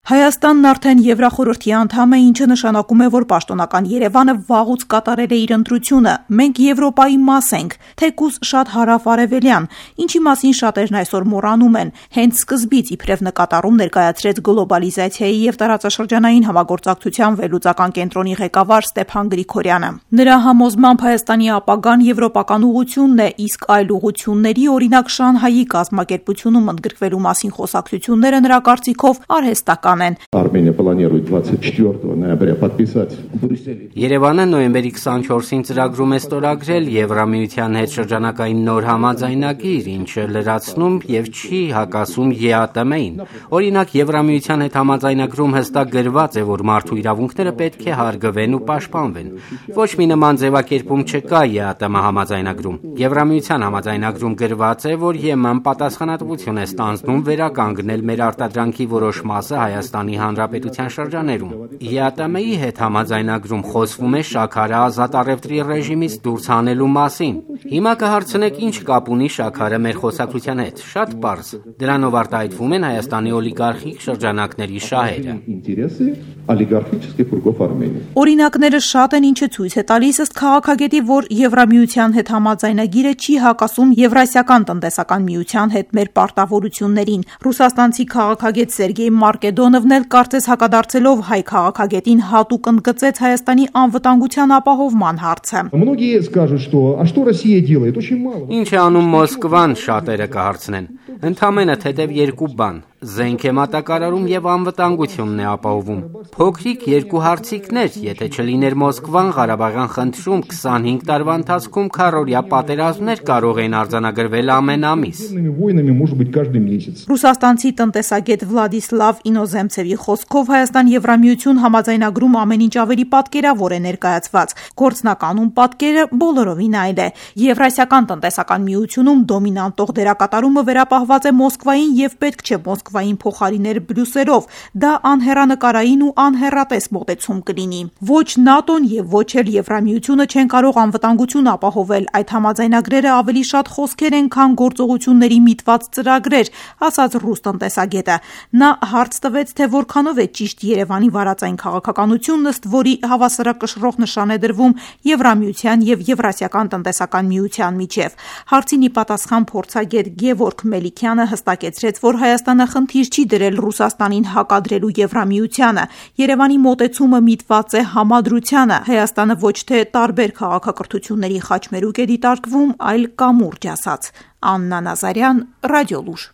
Հայաստանն արդեն Եվրախորհրդի անդամ է, ինչը նշանակում է, որ պաշտոնական Երևանը վաղուց կատարել է իր ընտրությունը։ Մենք Եվրոպայի մաս ենք, թեկուզ շատ հարավ-արևելյան, ինչի մասին շատերն այսօր մոռանում են։ Հենց սկզբից իբրև նկատառում ներկայացրեց գլոբալիզացիայի եւ տարածաշրջանային համագործակցության վերլուծական կենտրոնի ղեկավար Ստեփան Գրիգորյանը։ Նրա համոզմամբ Հայաստանի ապագան եվրոպական ուղղությունն է, իսկ այլ ուղղությունների, օրինակ Շանհայի կազմակերպությունում ընդգրկվելու մասին խոսակցությունները նրա կարծիքով արհեստական. Армения планирует 24 ноября подписать в Брюсселе. Երևանը նոյեմբերի 24-ին ծրագրում է ստորագրել Եվրամիության հետ շրջանակային նոր համաձայնագիր, ինչը լրացնում եւ չի հակասում ԵԱՏՄ-ին։ Օրինակ, Եվրամիության հետ համաձայնագրում հստակ գրված է, որ մարդու իրավունքները պետք է հարգվեն ու պաշտպանվեն։ Ոչ մի նման ձևակերպում չկա ԵԱՏՄ համաձայնագրում։ Եվրամիության համաձայնագրում գրված է, որ ԵՄ-ն պատասխանատվություն է ստանձնում վերականգնել մեր արտադրանքի որոշ մասը Հայաստանի Հանրապետության շրջաներում։ ԵԱՏՄ-ի հետ համաձայնագրում խոսվում է շաքարը ազատ առևտրի ռեժիմից դուրս հանելու մասին։ Հիմա կհարցնեք, ինչ կապ ունի շաքարը մեր խոսակցության հետ։ Շատ պարզ։ Դրանով արտահայտվում են Հայաստանի օլիգարխիկ շրջանակների շահերը։ Օրինակները շատ են, ինչը ցույց է տալիս ըստ քաղաքագետի, որ Եվրամիության հետ համաձայնագիրը չի հակասում Եվրասիական տնտեսական միության հետ մեր պարտավորություններին։ Ռուսաստանցի քաղաքագետ Սերգեյ Մարկեդոնովն էլ կարծես հակադարձելով հայ քաղաքագետին հատուկ ընդգծեց Հայաստանի անվտանգության ապահովման հարցը։ Ինչ է անում Մոսկվան, շատերը կհարցնեն։ Ընդամենը թեթև երկու բան՝ զենք է մատակարարում եւ անվտանգությունն է ապահովում։ Փոքրիկ երկու հարցիկներ, եթե չլիներ Մոսկվան Ղարաբաղյան խնդրում 25 տարվա ընթացքում քառօրյա պատերազմներ կարող էին արձանագրվել ամեն ամիս։ Ռուսաստանցի տնտեսագետ Վլադիսլավ Ինոզեմցևի խոսքով Հայաստան-Եվրամիություն համաձայնագրում ամեն ինչ ավելի պատկերավոր է ներկայացված։ Գործնականում պատկերը բոլորովին այլ է։ Եվրասիական տնտեսական միությունում դոմինանտող դերակատարումը վերապահված է Մոսկվային եւ պետք չէ Մոսկվային փոխարիներ Բրյուսելով, դա անհեռանկարային ու անհեռատես մոտեցում կլինի։ Ոչ ՆԱՏՕ-ն եւ ոչ էլ Եվրամիությունը չեն կարող անվտանգություն ապահովել, այդ համաձայնագրերը ավելի շատ խոսքեր են, քան գործողությունների միտված ծրագրեր, ասաց ռուս տնտեսագետը։ Նա հարց տվեց, թե որքանով է ճիշտ Երևանի վարածային քաղաքականությունն, ըստ որի հավասարակշռող նշան է դրվում Եվրամիության եւ Եվրասիական տնտեսական միության միջև։ Հարցին ի պատասխան փորձագետ Գևորգ Մելիքյանը հստակեցրեց, որ Հայաստանը խնդիր չի դրել Ռուսաստանին հակադրելու Եվրամիությանը։ Երևանի մոտեցումը միտված է համադրությանը։ Հայաստանը ոչ թե տարբեր քաղաքակրթությունների խաչմերուկ է դիտարկվում, այլ կամուրջ, ասաց Աննա Նազարյան, Ռադիոլուր։